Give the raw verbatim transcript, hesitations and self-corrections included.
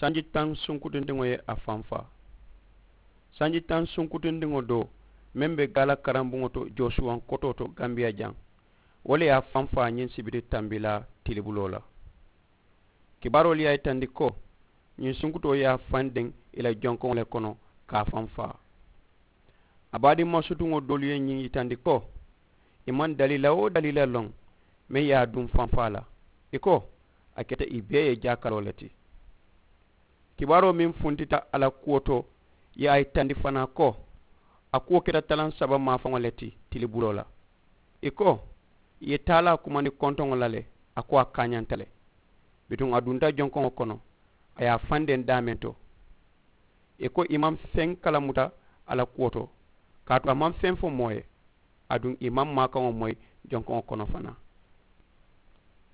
Sanji taŋ sunkutundiŋo ye a faŋ faa. Sanji taŋ sunkutundiŋo doo meŋ be gaala karambuŋo to joosuwaŋ kotoo to gambiya jaŋ, wo le ye a faŋ faa ñiŋ sibiti tambilaa tilibuloo la. Kibaaroolu ye a yitandi ko ñiŋ sunkutoo ye a faŋ deŋ ì la jonkoŋo le kono ka a faŋ faa. A baadiŋ masutuŋo doolu ye ñiŋ yitandi ko ì maŋ daliila-wo-daliila loŋ meŋ ye a duŋ faŋ faa la. Ì ko a keta ì bee ye jaakaloo le ti. Kibaaroo meŋ funtita a la kuwo to ye a yitandi fanaa ko a kuwo keta talaŋ saba maafaŋo le ti tilibuloo la. Ì ko ì ye taalaa kumandi kontoŋo la le. A ko a kaañanta le. Bituŋ a dunta jonkoŋo kono a ye a faŋ deŋ daameŋ to. Ì ko ì maŋ feŋ kalamuta a la kuwo to kaatu a maŋ feŋ fo moo ye. Aduŋ ì maŋ maakaŋo moyi jonkoŋo kono fanaa.